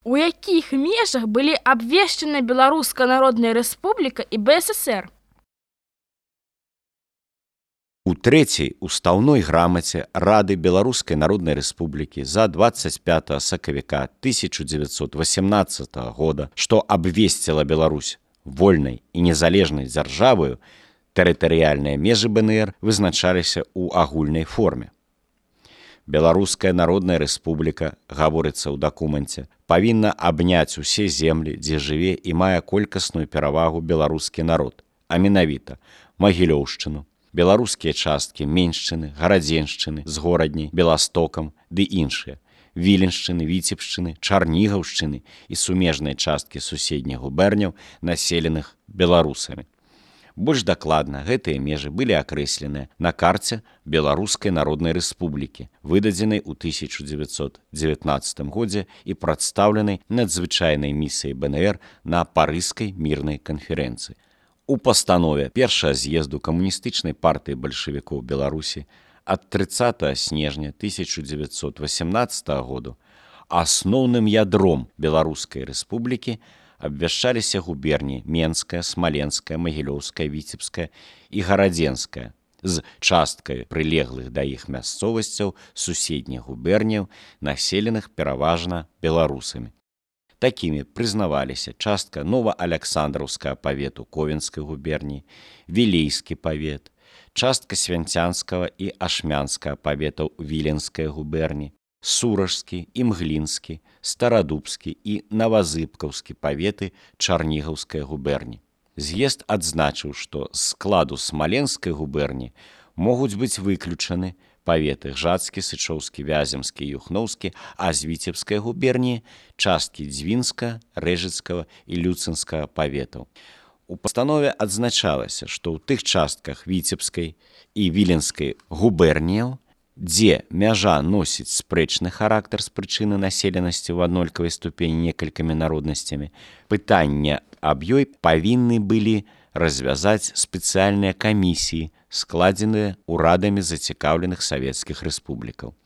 У якіх межах былі абвешчаны Беларуская Народная Рэспубліка і БССР? У трэцяй устаўной грамаце Рады Беларускай Народнай Рэспублікі за 25 сакавіка 1918 года, што абвесціла Беларусь вольнай і незалежнай дзяржаваю, тэрытарыяльныя межы БНР вызначаліся ў агульнай форме. Беларуская Народная Рэспубліка, гаворыцца ў дакуменце, павінна абняць усе землі, дзе жыве і мае колькасную перавагу беларускі народ, а менавіта Магілёўшчыну, беларускія часткі Меншчыны, Гарадзеншчыны з горадняй, Беластокам ды іншыя, Віленшчыны, Віцебшчыны, Чарнігаўшчыны і сумежныя часткі суседніх губерняў, населеных беларусамі. Больш дакладна, гэтыя межы былі акрэсленыя на карце Беларускай Народнай Рэспублікі, выдадзенай у 1919 годзе і прадстаўленай надзвычайнай місіяй БНР на Парыжскай мірнай канферэнцыі. У пастанове першага з'езду камуністычнай партыі бальшавікоў Беларусі ад 30 снежня 1918 году асноўным ядром Беларускай Рэспублікі абвяшчаліся губерні Менская, Смаленская, Магілёўская, Віцебская і Гарадзенская з часткай прылеглых да іх мясцовасцяў суседніх губерняў, населеных пераважна беларусамі. Такімі прызнаваліся частка Новааляксандраўскага павету Ковенскай губерніі, Вілейскі павет, частка Свянцянскага і Ашмянскага паветаў Віленскай губерніі, Суражскі, Імглінскі, Старадубскі і Навазыбкаўскі паветы Чарнігаўскай губерні. З'езд адзначыў, што з складу Смаленскай губерні могуць быць выключаны паветы Гжатскі, Сычоўскі, Вяземскі і Юхноўскі, а з Віцебскай губерніі часткі Дзвінска, Рэжыцкага і Люцынскага паветаў. У пастанове адзначалася, што ў тых частках Віцебскай і Віленскай губерніяў, дзе мяжа носіць спрэчны характар з прычыны населенасці ў аднолькавай ступені некалькімі народнасцямі, пытання аб ёй павінны былі развязаць спецыяльныя камісіі, складзеныя ўрадамі зацікаўленых савецкіх рэспублікаў.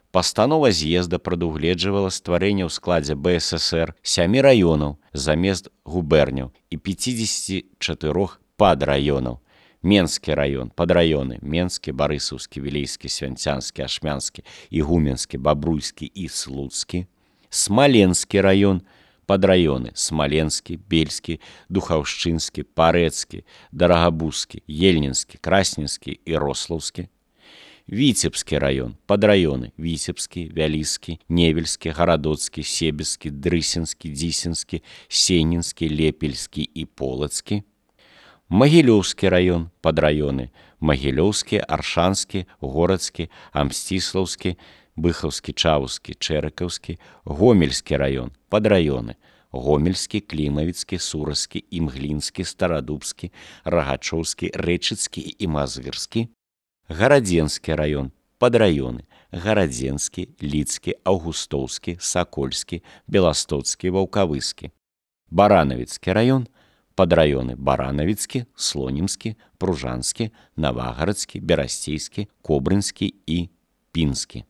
Пастанова з'езда прадугледжвала стварэнне ў складзе БССР 7 раёнаў замест губерняў і 54 падраёнаў. Менскі раён, падраёны Менскі, Барысаўскі, Вілейскі, Свянцянскі, Ашмянскі, Ігуменскі, Бабруйскі і Слуцкі. Смаленскі раён, падраёны Смаленскі, Бельскі, Духаўшчынскі, Парэцкі, Дарагабузскі, Ельнінскі, Красненскі і Рослаўскі. Віцебскі раён, падраёны Віцебскі, Вяліскі, Невельскі, Гарадоцкі, Себецкі, Дрысенскі, Дзісенскі, Сенінскі, Лепельскі і Полацкі. Магілёўскі раён, падраёны Магілёўскі, Аршанскі, Горадскі, Амсціслаўскі, Быхаўскі, Чаўскі, Чэрыкаўскі, Гомельскі раён, падраёны Гомельскі, Клімавіцкі, Суразскі, Імглінскі, Старадубскі, Рагачоўскі, Рэчыцкі і Мазырскі. Гарадзенскі раён, падраёны Гарадзенскі, Ліцкі, Аўгустоўскі, Сакольскі, Беластоцкі, Ваўкавыскі. Баранавіцкі раён, падраёны Баранавіцкі, Слонімскі, Пружанскі, Навагарадскі, Берасцейскі, Кобрынскі і Пінскі.